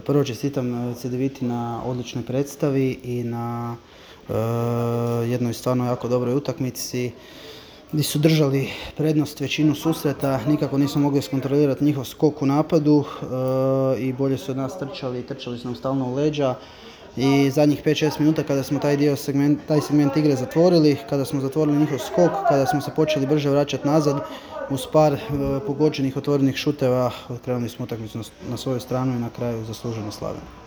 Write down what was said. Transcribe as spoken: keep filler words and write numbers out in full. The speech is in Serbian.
Prvo čestitam Cedeviti na odličnoj predstavi i na jednoj stvarno jako dobroj utakmici gdje su držali prednost većinu susreta, nikako nismo mogli skontrolirati njihov skok u napadu i bolje su od nas trčali, trčali su nam stalno u leđa. I zadnjih pet šest minuta kada smo taj dio segment, taj segment igre zatvorili, kada smo zatvorili njihov skok, kada smo se počeli brže vraćati nazad, uz par pogođenih otvorenih šuteva, krenuli smo utakmicu na svoju stranu i na kraju zasluženo slavili.